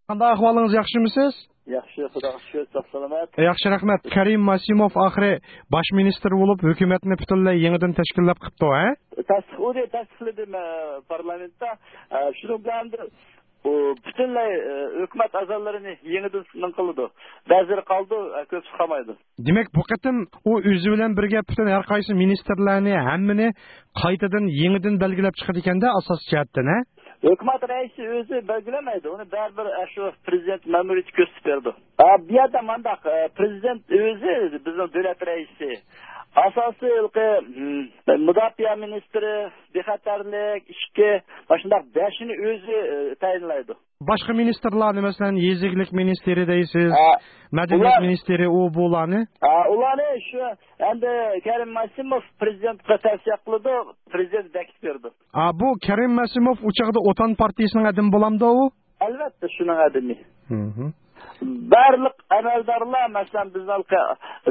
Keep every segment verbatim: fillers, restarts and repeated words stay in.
قانداق ئەھۋالىڭىز، ياخشىمۇسىز؟ ياخشى، خۇداغا شۈكۈر، ساق سالامەت. ياخشى، رەھمەت. كەرىم ماسىموف ئاخىرى باش مىنىستىر بولۇپ، ھۆكۈمەتنى پۈتۈنلەي يېڭىدىن تەشكىللەپ قىپتۇ، ھە؟ تەستىق-، ئۇنى تەستىقلىدىم، ئە، پارلامېنتتا. ئە، شۇنىڭ بىلەن ئۇ پۈتۈنلەي، ئە، ھۆكۈمەت ئەزالىرىنى يېڭىدىن سىنىڭ قىلىدۇ. بەزىلىرى قالىدۇ، ئە، كۆپسى قالمايدۇ. دېمەك، بۇ قېتىم ئۇ ئۆزى بىلەن بىرگە پۈتۈن ھەر قايسى مىنىستىرلارنى، ھەممىنى قايتىدىن يېڭىدىن بەلگىلەپ چىقىدىكەن-دە، ئاساسىي جەھەتتىن، ھە؟ ھۆكۈمەت رەئىسى ئۆزى بەلگىلىمەيدۇ، ئۇنى بەرىبىر ئاشۇ پرېزىدېنت مەمۇرىيىتى كۆرسىتىپ بېرىدۇ. ئا، بۇ يەردە مانداق، ئە، پرېزىدېنت ئۆزى، بىزنىڭ دۆلەت رەئىسى، ئاساسىي ھېلىقى، م، مۇداپىئە مىنىستىرى، بىخەتەرلىك، ئىچكى، مانا شۇنداق بەشىنى ئۆزى، ئە، تەيىنلەيدۇ. باشقا مىنىستىرلارنى، مەسىلەن، يېزا ئىگىلىك مىنىستىرى دەيسىز، ھە، مەدەنىيەت ئۇلار مىنىستىرى، ئۇ بۇلارنى؟ ھە، ئۇلارنى شۇ ئەمدى كەرىم ماسىموف پرېزىدېنتقا تەۋسىيە قىلىدۇ، پرېزىدېنت بېكىتىپ بېرىدۇ. ئا، بۇ كەرىم ماسىموف ئۇ چاغدا ئوتان پارتىيىسىنىڭ ئادىمى بولامدۇ ئۇ؟ ئەلۋەتتە، شۇنىڭ ئادىمى. مھم. بارلىق ئەمەلدارلار، مەسىلەن، بىزنىڭ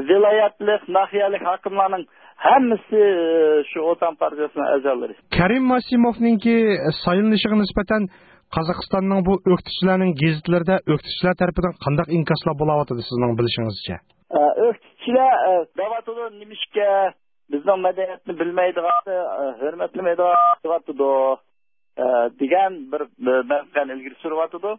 ۋىلايەتلىك، ناھىيەلىك ھاكىملارنىڭ ھەممىسى، ئە، شۇ ئوتان پارتىيىسىنىڭ ئەزالىرى. كەرىم ماسىموفنىڭكى سايلىنىشىغا نىسبەتەن قازاقىستاننىڭ بۇ ئۆكتىچىلەرنىڭ گېزىتلىرىدە ئۆكتىچىلەر تەرىپىدىن قانداق ئىنكاسلار بولاۋاتىدۇ سىزنىڭ بىلىشىڭىزچە؟ ئە، ئۆكتىچىلەر، ئە، دەۋاتىدۇ، نېمىشقا بىزنىڭ مەدەنىيەتنى بىلمەيدىغان، ئە، ھۆرمەتلىمەيدىغان دەۋاتىدۇ، ئە، دېگەن بىر، بىر مەنتىقەنى ئىلگىرى سۈرۈۋاتىدۇ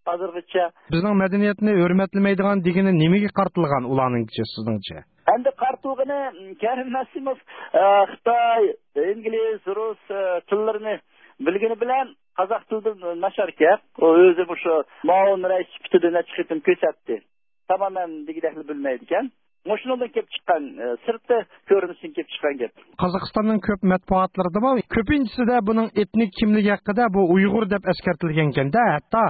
ھازىرغىچە. بىزنىڭ مەدەنىيەتنى ھۆرمەتلىمەيدىغان دېگىنى نېمىگە قارىتىلغان ئۇلارنىڭكىچە سىزنىڭچە؟ ئەمدى قارىتىلغىنى، م، كەرىم ماسىموف، ئە، خىتاي، ئىنگلىز، رۇس، ئە، تىللىرىنى بىلگىنى بىلەن قازاق تىلىدىن ناچاركەن. ئۇ ئۆزى مۇشۇ مۇئاۋىن رەئىس سۈپىتىدە نەچچە قېتىم كۆرسەتتى. تامامەن دېگۈدەكلا بىلمەيدىكەن. مۇشۇنىڭدىن كېلىپ چىققان، ئە، سىرتقى كۆرۈنۈشتىن كېلىپ چىققان گەپ. قازاقىستاننىڭ كۆپ مەتبۇئاتلىرىدىمۇ كۆپىنچىسىدە بۇنىڭ ئېتنىك كىملىكى ھەققىدە بۇ ئۇيغۇر دەپ ئەسكەرتىلگەنكەن-دە، ھەتتا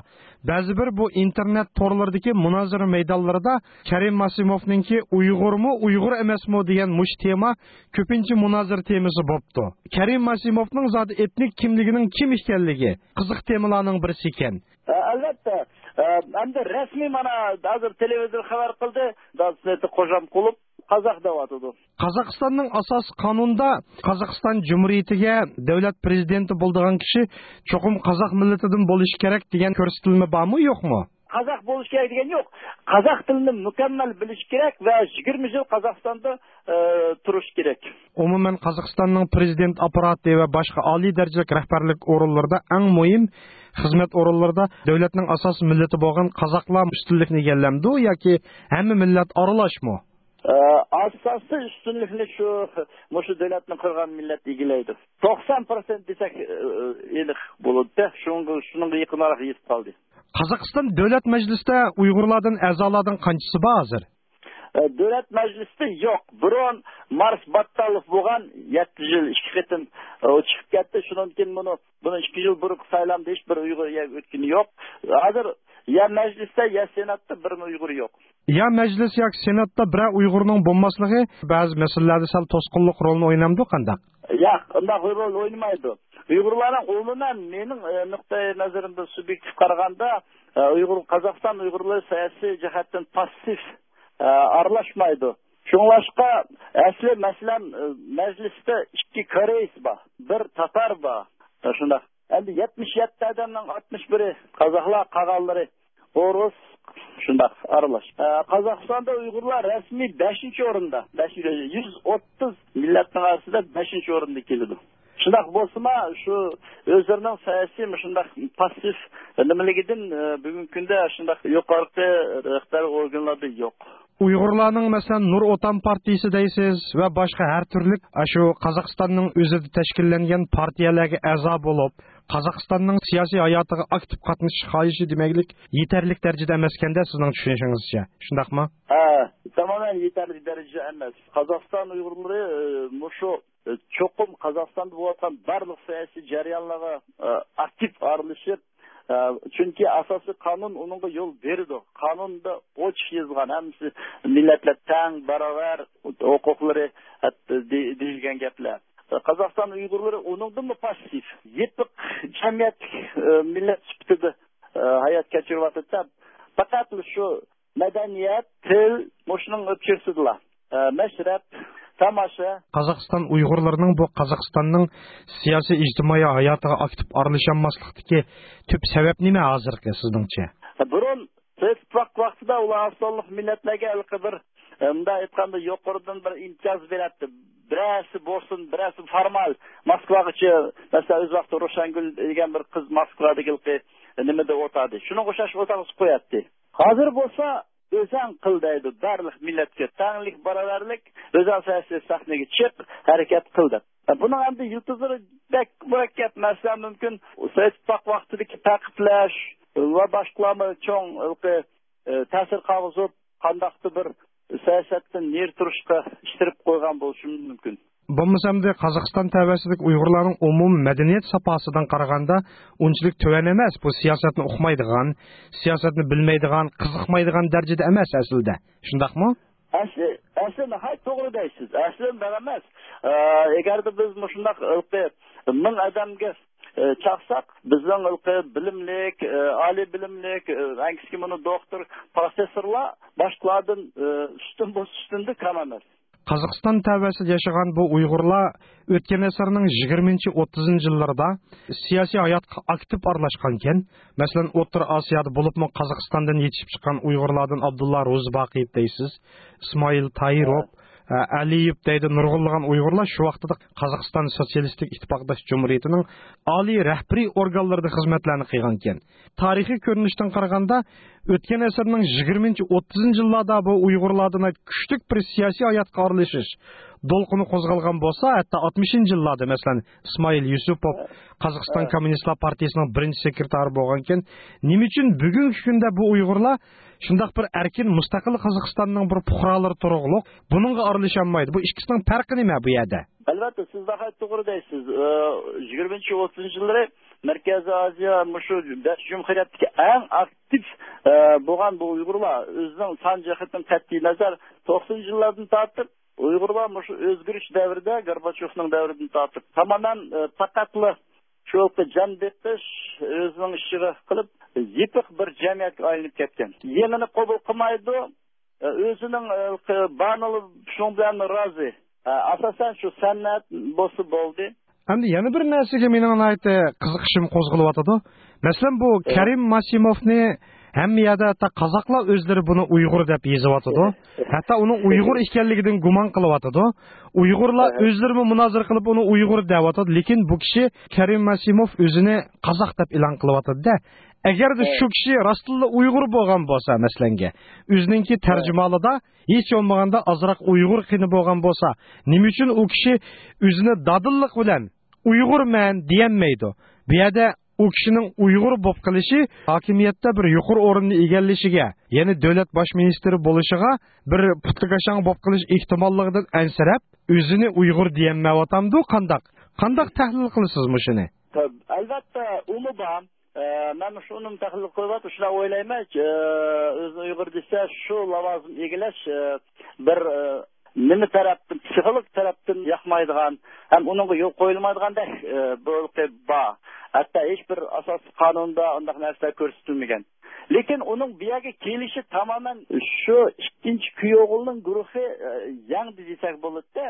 بەزى بىر بۇ ئىنتېرنېت تورلىرىدىكى مۇنازىرە مەيدانلىرىدا كەرىم ماسىموفنىڭكى ئۇيغۇرمۇ، ئۇيغۇر ئەمەسمۇ دېگەن مۇشۇ تېما كۆپىنچە مۇنازىرە تېمىسى بوپتۇ. كەرىم ماسىموفنىڭ زادى ئېتنىك كىملىكىنىڭ كىم ئىكەنلىكى قىزىق تېمىلارنىڭ بىرسى ئىكەن. ئە، ئەلۋەتتە. ئە، ئەمدى رەسمىي مانا ھازىر تېلېۋىزور خەۋەر قىلدى، دادىسى قوجام قۇلۇپ قازاق دەۋاتىدۇ. قازاقىستاننىڭ ئاساسىي قانۇنىدا قازاقىستان جۇمھۇرىيىتىگە دۆلەت پرېزىدېنتى بولىدىغان كىشى چوقۇم قازاق مىللىتىدىن بولۇشى كېرەك دېگەن كۆرسىتىلمە بارمۇ، يوقمۇ؟ قازاق بولۇشى كېرەك دېگەن يوق. قازاق تىلىنى مۇكەممەل بىلىشى كېرەك ۋە يىگىرمە يىل قازاقىستاندا، ئە، تۇرۇشى كېرەك. ئومۇمەن، قازاقىستاننىڭ پرېزىدېنت ئاپپاراتى ۋە باشقا ئالىي دەرىجىلىك رەھبەرلىك ئورۇنلىرىدا، ئەڭ مۇھىم خىزمەت ئورۇنلىرىدا دۆلەتنىڭ ئاساسىي مىللىتى بولغان قازاقلار ئۈستۈنلۈكنى ئىگىلەمدۇ ياكى ھەممە مىللەت ئارىلاشمۇ؟ ئە، ئاساسىي ئۈستۈنلۈكنى شۇ، مۇشۇ دۆلەتنى قۇرغان مىللەت ئىگىلەيدۇ. توقسان پىرسەنت دېسەك، ئە، ئېنىق بولىدۇ. شۇنىڭغا، شۇنىڭغا يېقىنراق يېتىپ قالدى. قازاقىستان دۆلەت مەجلىسىدە ئۇيغۇرلاردىن، ئەزالاردىن قانچىسى بار ھازىر؟ ئە، دۆلەت مەجلىسىدە يوق. بۇرۇن مارس باتتالوف بولغان، يەتتە يىل ئىككى قېتىم، ئە، ئۇ چىقىپ كەتتى. شۇنىڭدىن كېيىن بۇنى، بۇنىڭ ئىككى يىل بۇرۇنقى سايلامدا ھېچ بىر ئۇيغۇر يەرگە ئۆتكىنى يوق. ھازىر يا مەجلىستە، يا سېناتتا بىرمۇ ئۇيغۇر يوق. يا مەجلىس ياكى سېناتتا بىرەر ئۇيغۇرنىڭ بولماسلىقى بەزى مەسىلىلەردە سەل توسقۇنلۇق رولىنى ئوينامدۇ قانداق؟ ياق، ئۇنداق رول ئوينىمايدۇ. ئۇيغۇرلارنىڭ ئومۇمەن مېنىڭ، ئە، نۇقتىئى نەزىرىمدىن سۇبيېكتىپ قارىغاندا، ئە، ئۇيغۇر، قازاقىستان ئۇيغۇرلىرى سىياسىي جەھەتتىن پاسسىپ، ئە، ئارىلاشمايدۇ. شۇڭلاشقا ئەسلى مەسىلەن، ئە، مەجلىستە ئىككى كورېيس بار، بىر تاتار بار. شۇنداق. ئەمدى يەتمىش يەتتە ئادەمنىڭ ئاتمىش بىرى قازاقلار، قالغانلىرى ئورۇس، شۇنداق ئارىلاش. ئە، قازاقىستاندا ئۇيغۇرلار رەسمىي بەشىنچى ئورۇندا، بەشىنچى، يۈز ئوتتۇز مىللەتنىڭ ئارىسىدا بەشىنچى ئورۇندا كېلىدۇ. شۇنداق بولسىمۇ، شۇ ئۆزلىرىنىڭ سىياسىي مۇشۇنداق پاسسىپ نېمىلىكىدىن، ئە، بۈگۈنكى كۈندە شۇنداق يۇقىرىقى رەھبەر ئورگانلاردا يوق. ئۇيغۇرلارنىڭ، مەسىلەن، نۇر ئوتان پارتىيىسى دەيسىز ۋە باشقا ھەر تۈرلۈك، ئاشۇ قازاقىستاننىڭ ئۆزىدە تەشكىللەنگەن پارتىيەلەرگە ئەزا بولۇپ، قازاقىستاننىڭ سىياسىي ھاياتىغا ئاكتىپ قاتنىشىش خاھىشى دېمەكلىك يېتەرلىك دەرىجىدە ئەمەسكەندە، سىزنىڭ چۈشىنىشىڭىزچە، شۇنداقمۇ؟ ھە، تامامەن يېتەرلىك دەرىجىدە ئەمەس. قازاقىستان ئۇيغۇرلىرى، ئە، مۇشۇ، ئە، چوقۇم قازاقىستاندا بولۇۋاتقان بارلىق سىياسىي جەريانلارغا، ئە، ئاكتىپ ئارىلىشىپ، ئە، چۈنكى ئاساسىي قانۇن ئۇنىڭغا يول بېرىدۇ. قانۇندا ئوچۇق يېزىلغان، ھەممىسى مىللەتلەر تەڭ، باراۋەر ھوقۇقلىرى، ھەتتا دې-، دېيىلگەن گەپلەر. قازاقىستان ئۇيغۇرلىرى ئۇنىڭدىنمۇ پاسسىپ، يېپىق جەمئىيەتلىك، ئە، مىللەت سۈپىتىدە، ئە، ھايات كەچۈرۈۋاتىدۇ. پەقەتلا شۇ مەدەنىيەت، تىل، مۇشۇنىڭ ئۆپچىسىدىلا، ئە، مەشرەپ، تاماشا. قازاقىستان ئۇيغۇرلىرىنىڭ بۇ قازاقىستاننىڭ سىياسىي ئىجتىمائىي ھاياتىغا ئاكتىپ ئارىلىشالماسلىقتىكى تۈپ سەۋەب نېمە ھازىرقى سىزنىڭچە؟ بۇرۇن ئۇلار ئاز سانلىق مىللەتلەرگە ھېلىقى بىر، ئە، مۇنداق ئېيتقاندا، يۇقىرىدىن بىر ئىمتىياز بېرەتتى. بىرەرسى بولسۇن، بىرەرسى فورمال، ماسكۋاغىچە، مەسىلەن، ئۆز ۋاقتىدا روشەنگۈل دېگەن بىر قىز ماسكۋادىكى ھېلىقى نېمىدە ئولتۇردى. شۇنىڭغا ئوخشاش ئولتۇرغۇزۇپ قوياتتى. ھازىر بولسا ئۆزەڭ قىل دەيدۇ، بارلىق مىللەتكە تەڭلىك، باراۋەرلىك، ئۆزەڭ سەھنىگە چىق، ھەرىكەت قىل دەپ. بۇنىڭ ئەمدى يىلتىزلىرى بەك مۇرەككەپ. مەسىلەن، مۇمكىن سوۋېت ئىتتىپاق ۋاقتىدىكى تەقىبلەش ۋە باشقىلارمۇ چوڭ ھېلىقى، ئە، تەسىر قالغۇزۇپ، قانداقتۇر بىر سىياسەتتىن نېرى تۇرۇشقا ئىتتىرىپ قويغان بولۇشى مۇمكىن. بولمىسا ئەمدى قازاقىستان تەۋەسىدىكى ئۇيغۇرلارنىڭ ئومۇمىي مەدەنىيەت ساپاسىدىن قارىغاندا ئۇنچىلىك تۆۋەن ئەمەس. بۇ سىياسەتنى ئۇقمايدىغان، سىياسەتنى بىلمەيدىغان، قىزىقمايدىغان دەرىجىدە ئەمەس ئەسلىدە. شۇنداقمۇ؟ ئەسلى، ئەسلى ناھايىتى توغرا دەيسىز. ئەسلى ئۇنداق ئەمەس. ئە، ئەگەردە بىز مۇشۇنداق ھېلىقى مىڭ ئادەمگە، ئە، چاقساق، بىزنىڭ ھېلىقى بىلىملىك، ئە، ئالىي بىلىملىك، ئە، ئەڭ كىچىكى مۇنۇ دوختۇر، پروفېسسورلار باشقىلاردىن، ئە، ئۈستۈن بولسا ئۈستۈندە كەم ئەمەس. قازاقىستان تەۋەسىدە ياشىغان بۇ ئۇيغۇرلار ئۆتكەن ئەسىرنىڭ يىگىرمىنچى، ئوتتۇزىنچى يىللىرىدا سىياسىي ھاياتقا ئاكتىپ ئارىلاشقانكەن. مەسىلەن، ئوتتۇرا ئاسىيادا، بولۇپمۇ قازاقىستاندىن يېتىشىپ چىققان ئۇيغۇرلاردىن ئابدۇللا روزىباقىيېۋ دەيسىز، ئىسمائىل تايىروف، ھە. ئە، ئەلىيېۋ دەيدۇ، نۇرغۇنلىغان ئۇيغۇرلار شۇ ۋاقتىدا قازاقىستان سوتسىيالىستىك ئىتتىپاقداش جۇمھۇرىيىتىنىڭ ئالىي رەھبىرىي ئورگانلىرىدا خىزمەتلەرنى قىلغانكەن. تارىخىي كۆرۈنۈشتىن قارىغاندا، ئۆتكەن ئەسىرنىڭ يىگىرمىنچى، ئوتتۇزىنچى يىللاردا بۇ ئۇيغۇرلاردا ناھايىتى كۈچلۈك بىر سىياسىي ھاياتقا ئارىلىشىش دولقۇنى قوزغالغان بولسا، ھەتتا ئاتمىشىنچى يىللاردا، مەسىلەن، ئىسمائىل يۈسۈپوف، قازاقىستان كوممۇنىستلار پارتىيىسىنىڭ بىرىنچى سېكرېتارى بولغانكەن، نېمە ئۈچۈن بۈگۈنكى كۈندە بۇ ئۇيغۇرلار شۇنداق بىر ئەركىن، مۇستەقىل قازاقىستاننىڭ بىر پۇقرالىرى تۇرۇقلۇق بۇنىڭغا ئارىلىشالمايدۇ؟ بۇ ئىككىسىنىڭ پەرقى نېمە بۇ يەردە؟ ئەلۋەتتە، سىز ناھايىتى توغرا دەيسىز. ئە، يىگىرمىنچى، ئوتتۇزىنچى يىللىرى مەركەزىي ئازىيا مۇشۇ بەش جۇمھۇرىيەتتىكى ئەڭ ئاكتىپ، ئە، بولغان بۇ ئۇيغۇرلار ئۆزىنىڭ سان جەھەتتىن قەتئىينەزەر توقسىنىنچى يىللاردىن تارتىپ ئۇيغۇرلار مۇشۇ ئۆزگىرىش دەۋرىدە، گورباچيوفنىڭ دەۋرىدىن تارتىپ تامامەن، ئە، پەقەتلا شۇ جان بېقىش، ئۆزىنىڭ ئىشىغا قىلىپ، يېپىق بىر جەمئىيەتكە ئايلىنىپ كەتكەن. يېڭىنى قوبۇل قىلمايدۇ. ئۆزىنىڭ، ئە، بارىنى شۇنىڭ بىلەن رازى. ئە، ئاساسەن شۇ سەنئەت بولسا بولدى. ئەمدى يەنە بىر نەرسىگە مېنىڭ ناھايىتى قىزىقىشىم قوزغىلىۋاتىدۇ. مەسىلەن، بۇ ئە. كەرىم ماسىموفنى ھەممە يەردە ھەتتا قازاقلار ئۆزلىرى بۇنى ئۇيغۇر دەپ يېزىۋاتىدۇ. ئە. ھەتتا ئۇنىڭ ئۇيغۇر ئىكەنلىكىدىن گۇمان قىلىۋاتىدۇ. ئۇيغۇرلار ئە. ئۆزلىرىمۇ مۇنازىرە قىلىپ ئۇنى ئۇيغۇر دەۋاتىدۇ. لېكىن بۇ كىشى كەرىم ماسىموف ئۆزىنى قازاق دەپ ئېلان قىلىۋاتىدۇ-دە. ئەگەردە ئە. شۇ كىشى راستتىنلا ئۇيغۇر بولغان بولسا، مەسىلەنگە، ئۆزىنىڭكى ئە. تەرجىمىھالىدا ھېچ بولمىغاندا ئازراق ئۇيغۇر قېنى بولغان بولسا، نېمە ئۈچۈن ئۇ كىشى ئۆزىنى دادىللىق بىلەن «ئۇيغۇرمەن» دېيەلمەيدۇ؟ بۇ يەردە ئۇ كىشىنىڭ ئۇيغۇر بولۇپ قېلىشى ھاكىمىيەتتە بىر يۇقىرى ئورۇننى ئىگىلىشىگە، يەنى دۆلەت باش مىنىستىرى بولۇشىغا بىر پۇتلىكاشاڭ بولۇپ قېلىش ئېھتىماللىقىدىن ئەنسىرەپ، ئۆزىنى ئۇيغۇر دېيەلمەيۋاتامدۇ قانداق؟ قانداق تەھلىل قىلىسىز مۇشۇنى؟ ئەلۋەتتە، ئۇمۇ بار. ئە، مەن شۇنىمۇ تەھلىل قىلىۋاتىمەن، شۇنداق ئويلايمەن، ئە، ئۆزىنى ئۇيغۇر دېسە، شۇ لاۋازىم ئىگىلەش، ئە، بىر، ئە، نېمە تەرەپتىن، پسىخولوگ تەرەپتىن ياقمايدىغان ھەم ئۇنىڭغا يول قويۇلمايدىغاندەك، ئە، بىر بار. ھەتتا ھېچ بىر ئاساسىي قانۇندا ئۇنداق نەرسىلەر كۆرسىتىلمىگەن. لېكىن ئۇنىڭ بۇ يەرگە كېلىشى تامامەن شۇ ئىككىنچى كۈيئوغۇلنىڭ گۇرۇھى، ئە، يەڭدى دېسەك بولىدۇ-دە.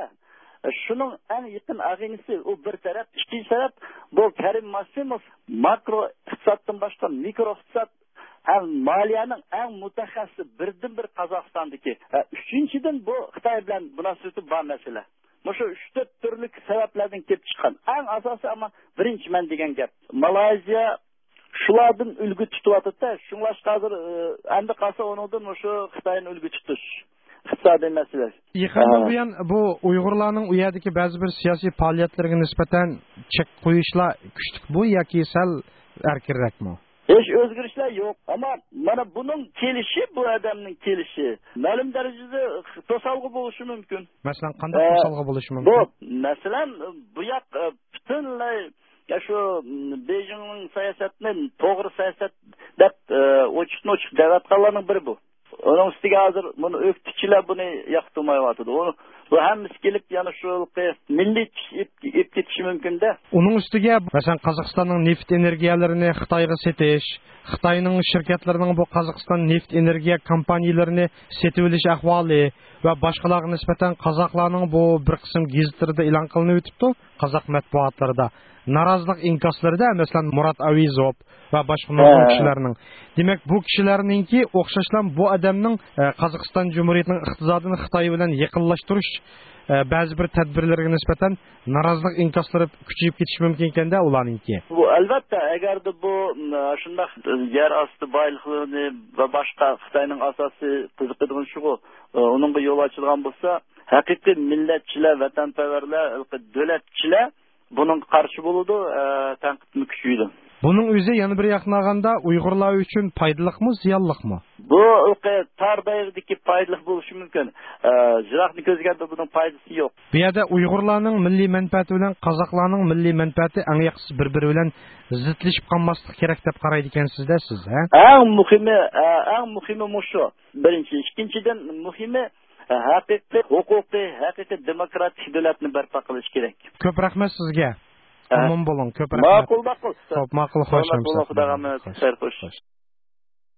شۇنىڭ ئەڭ يېقىن ئاغىنىسى ئۇ بىر تەرەپ. ئىككىنچى تەرەپ، بۇ كەرىم ماسىموف ماكرو ئىقتىسادتىن باشقا مىكرو ئىقتىساد ھەم مالىيەنىڭ ئەڭ مۇتەخەسسىسى، بىردىنبىر قازاقىستاندىكى. ھە، ئۈچىنچىدىن، بۇ خىتاي بىلەن مۇناسىۋىتى بار مەسىلە. مۇشۇ ئۈچ تۆت تۈرلۈك سەۋەبلەردىن كېلىپ چىققان. ئەڭ ئاساسىي، ئەمما بىرىنچى مەن دېگەن گەپ. مالايزىيە شۇلاردىن ئۈلگە تۇتۇۋاتىدۇ-دە، شۇڭلاشقا ھازىر، ئە، ئەمدى قالسا ئۇنىڭدىن مۇشۇ خىتاينى ئۈلگە تۇتۇش، ئىقتىسادىي مەسىلە. يېقىندىن ئە. بۇيان بۇ ئۇيغۇرلارنىڭ ئۇ يەردىكى بەزى بىر سىياسىي پائالىيەتلىرىگە نىسبەتەن چەك قويۇشلار كۈچلۈكمۇ ياكى سەل ئەركىنرەكمۇ؟ ھېچ ئۆزگىرىشلەر يوق. ئەمما مانا بۇنىڭ كېلىشى، بۇ ئادەمنىڭ كېلىشى مەلۇم دەرىجىدە توسالغۇ بولۇشى مۇمكىن. مەسىلەن، قانداق ئە، توسالغۇ بولۇشى بۇ، مۇمكىن؟ مەسىلەن، بۇ ياق، ئە، پۈتۈنلەي، يا شۇ، م، بېيجىڭنىڭ سىياسەتنى توغرا سىياسەت دەپ، ئە، ئوچۇقتىن ئوچۇق دەۋاتقانلارنىڭ بىرى بۇ. ئۇنىڭ ئۈستىگە ھازىر بۇنى ئۆكتىچىلەر بۇنى ياقتۇرمايۋاتىدۇ. ئۇ، بۇ ھەممىسى كېلىپ يەنە شۇ مىللىي كېتىپ كېتىشى مۇمكىن-دە. ئۇنىڭ ئۈستىگە، مەسىلەن، قازاقىستاننىڭ نېفىت ئېنېرگىيەلىرىنى خىتايغا سېتىش، خىتاينىڭ شىركەتلىرىنىڭ بۇ قازاقىستان نېفىت ئېنېرگىيە كومپانىيىلىرىنى سېتىۋېلىش ئەھۋالى ۋە باشقىلارغا نىسبەتەن قازاقلارنىڭ بۇ بىر قىسىم گېزىتلىرىدا ئېلان قىلىنىۋېتىپتۇ، قازاق مەتبۇئاتلىرىدا نارازىلىق ئىنكاسلىرىدا، مەسىلەن، مۇرات ئەۋېزوف ۋە باشقا نۇرغۇن كىشىلەرنىڭ. دېمەك، بۇ كىشىلەرنىڭكى ئوخشاشلا بۇ ئادەمنىڭ، ئە، قازاقىستان جۇمھۇرىيىتىنىڭ ئىقتىسادىنى خىتاي بىلەن يېقىنلاشتۇرۇش، ئە، بەزى بىر تەدبىرلىرىگە نىسبەتەن نارازىلىق ئىنكاسلىرى كۈچىيىپ كېتىشى مۇمكىن ئىكەن-دە ئۇلارنىڭكى. بۇ، ئەلۋەتتە، ئەگەردە بۇ، م، شۇنداق يەر ئاستى بايلىقلىرىنى ۋە باشقا خىتاينىڭ ئاساسىي قىزىقىدىغىنى شۇغۇ، ئۇنىڭغا يول ئاچىدىغان بولسا، ھەقىقىي مىللەتچىلەر، ۋەتەنپەرۋەرلەر، دۆلەتچىلەر بۇنىڭغا قارشى بولىدۇ، ئە، تەنقىدمۇ كۈچىيىدۇ. بۇنىڭ ئۆزى يەنە بىر ياقتىن ئالغاندا ئۇيغۇرلار ئۈچۈن پايدىلىقمۇ، زىيانلىقمۇ؟ بۇ تار دائىرىدىكى پايدىلىق بولۇشى مۇمكىن. ئە، يىراقنى كۆزلىگەندە بۇنىڭ پايدىسى يوق. بۇ يەردە ئۇيغۇرلارنىڭ مىللىي مەنپەئەتى بىلەن قازاقلارنىڭ مىللىي مەنپەئەتى ئەڭ ياخشىسى بىر-بىرى بىلەن زىتلىشىپ قالماسلىقى كېرەك دەپ قارايدىكەنسىز-دە سىز، ھە؟ ئەڭ مۇھىمى، ئە، ئەڭ مۇھىمى مۇشۇ. بىرىنچى، ئىككىنچىدىن مۇھىمى، ھەقىقىي ھوقۇقىي، ھەقىقىي دېموكراتىك دۆلەتنى بەرپا قىلىش كېرەك. كۆپ رەھمەت سىزگە. ئە. ئامان بولۇڭ. كۆپ رەھمەت. ماقۇل، ماقۇل. خوپ، ماقۇل، خوش. سالامەت بولۇڭ، خۇداغا ئامانەت. خوش. خەير، خوش. خوش.